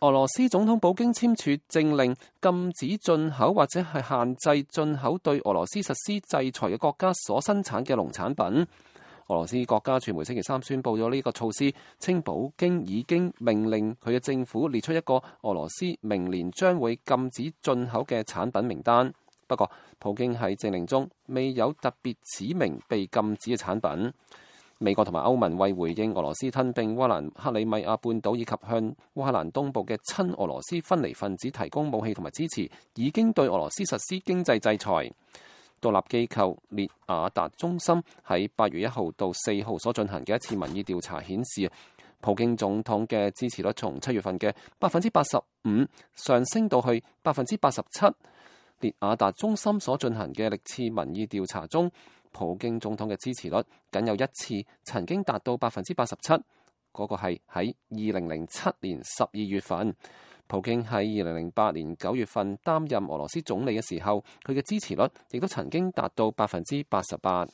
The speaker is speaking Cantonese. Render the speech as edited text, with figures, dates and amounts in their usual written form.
俄羅斯總統普京簽署政令，禁止進口或者係限制進口對俄羅斯實施制裁嘅國家所生產嘅農產品。俄羅斯國家傳媒星期三宣布咗呢個措施，稱普京已經命令佢嘅政府列出一個俄羅斯明年將會禁止進口嘅產品名單。不過，普京喺政令中未有特別指明被禁止嘅產品。美國同埋歐盟為回應俄羅斯吞併烏克蘭克里米亞半島以及向烏克蘭東部嘅親俄羅斯分離分子提供武器同埋支持，已經對俄羅斯實施經濟制裁。獨立機構列亞達中心喺8月1號到4號所進行嘅一次民意調查顯示，普京總統嘅支持率從7月份嘅85%上升到去87%。列亞達中心所進行嘅歷次民意調查中，普京總統嘅支持率僅有一次曾經達到87%，嗰個係喺2007年12月份。普京喺2008年9月份擔任俄羅斯總理嘅時候，佢嘅支持率亦都曾經達到88%。